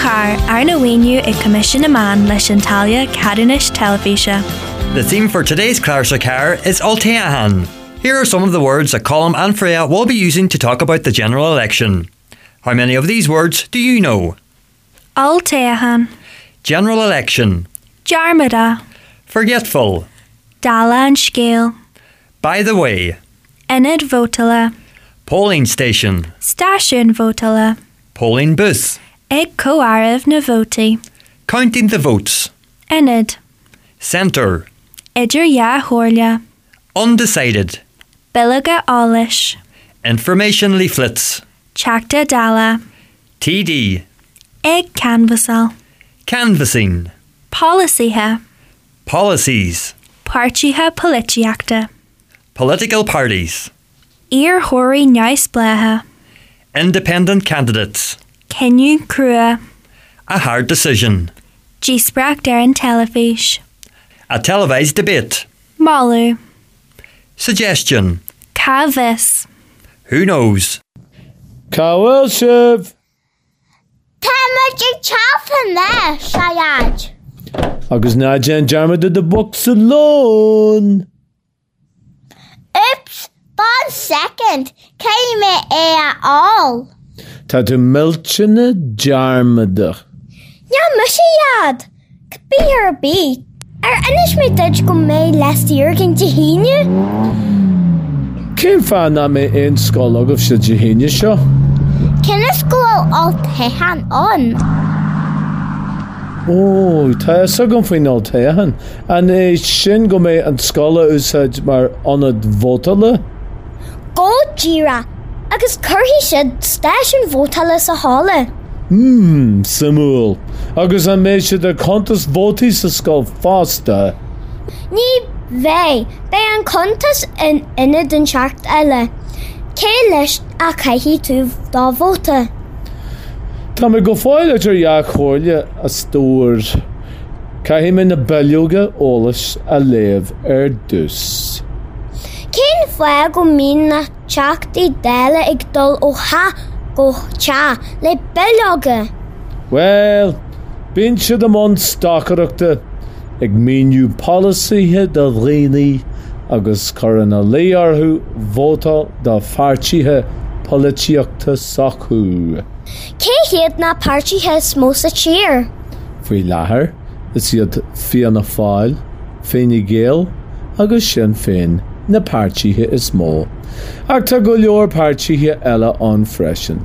Charr, arna mhaoiniú ag Coimisiún na Meán leis an táille ceadúnais teilifíse. The theme for today's Clár sa Charr is Olltoghchán. Here are some of the words that Colm and Freya will be using to talk about the general election. How many of these words do you know? Olltoghchán. General election. Dearmadach. Forgetful. Dála an scéil. By the way. Ionad vótála. Polling station. Stáisiún vótála. Polling booth. Ag comhaireamh na vótaí. Counting the votes. Ionad. Centre. Idir dhá chomhairle. Undecided. Bileoga eolais. Information leaflets. Teachta Dála. TD. Ag canbhasáil. Canvassing. Polasaithe. Policies. Páirtithe polaitíochta. Political parties. Iarrthóirí neamhspleácha. Independent candidates. Cinneadh crua. A hard decision. Díospóireacht ar an teilifís. A televised debate. Moladh. Suggestion. Cá bhfios? Who knows? Cá bhfuil sibh? Tá muid ag teacht anois, a Dhaid. Agus ná déan dearmad de do bhocsa lóin! Oops, fan soicind, caithfidh mé é a fháil. Tá tú millteanach dearmadach. Ní mise a Dhaid! Cibé ar bith, ar inis mé duit go mbeidh lá saor againn Dé hAoine? Cén fáth nach mbeidh aon scoil agaibhse Dé hAoine seo? Cionn is go bhfuil olltoghchán ann. Ó, tá a fhios agam faoin olltoghchán. An é sin go mbeidh an scoil á úsáid mar ionad vótála? Go díreach, agus cuirfidh siad stáisiún vótála sa halla. Hmm, suimiúil. Agus an mbeidh siad ag cuntas vótaí sa scoil fosta? Ní bheidh, beidh an cuntas in ionad inteacht eile. Cé leis a chaithfidh tú do vóta? Tá mé go fóill idir dhá chomhairle, a stór. Caithfidh mé na bileoga eolais a léamh ar dtús. Cén fáth go mbíonn na Teachtaí Dála ag dul ó theach go teach le bileoga? Bhuel, bíonn siad i mbun stocaireachta, ag míniú polasaithe do dhaoine agus cur ina luí orthu vótáil do pháirtithe polaitíochta s'acu. Cé hiad na páirtithe is mó sa tír? Faoi láthair, is iad Fianna Fáil, Fine Gael agus Sinn Féin na páirtithe is mó, ach tá go leor páirtithe eile ann freisin,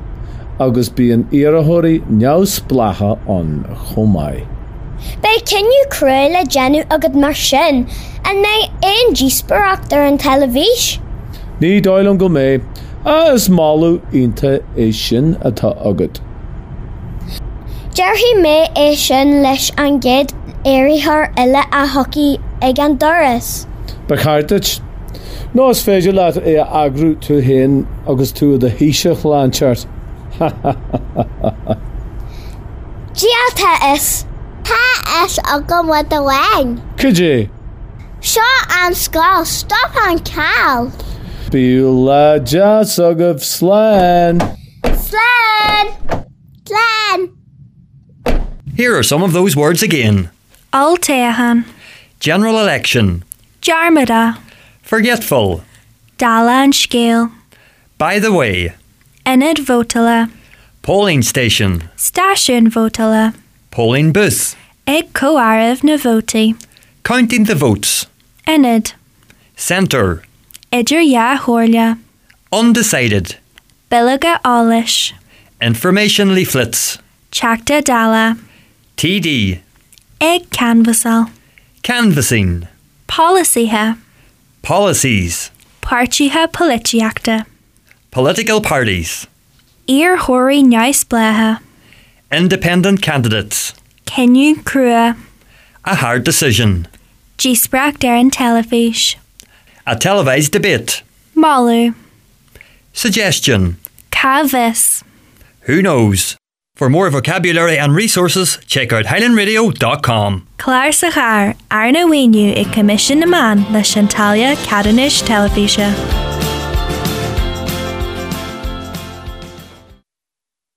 agus bíonn iarrthóirí neamhspleácha ann chomh maith. Beidh cinneadh crua le déanamh agat mar sin, an mbeidh aon díospóireacht ar an teilifís? Ní dóigh liom go mbeidh, ach is moladh iontach é sin atá agat. Déarfaidh mé é sin leis an gcéad iarrthóir eile a thiocfaidh ag an doras. Ba cheart duit. Nó is féidir leat é a eagrú tú féin agus tú i do Thaoiseach lá inteacht. Ha ha ha. Dia tá a fhios. Tá a fhios agam rud amháin. Cad é? Seo an scoil, stop an carr! Bíodh lá deas agaibh, slán! Slán! Slán! Here are some of those words again. Olltoghchán. General election. Dearmadach. Forgetful. Dála an scéil. By the way. Ionad vótála. Polling station. Stáisiún vótála. Polling booth. Ag comhaireamh na vótaí. Counting the votes. Ionad. Centre. Idir dhá chomhairle. Undecided. Bileoga eolais. Information leaflets. Teachta Dála. TD. Ag canbhasáil. Canvassing. Polasaithe. Policies. Páirtithe polaitíochta. Political parties. Iarrthóirí neamhspleácha. Independent candidates. Cinneadh crua. A hard decision. Díospóireacht ar an teilifís. A televised debate. Moladh. Suggestion. Cá bhfios? Who knows? For more vocabulary and resources, check out highlandradio.com. Clár sa Charr, arna mhaoiniú ag Coimisiún na Meán leis an táille ceadúnais teilifíse.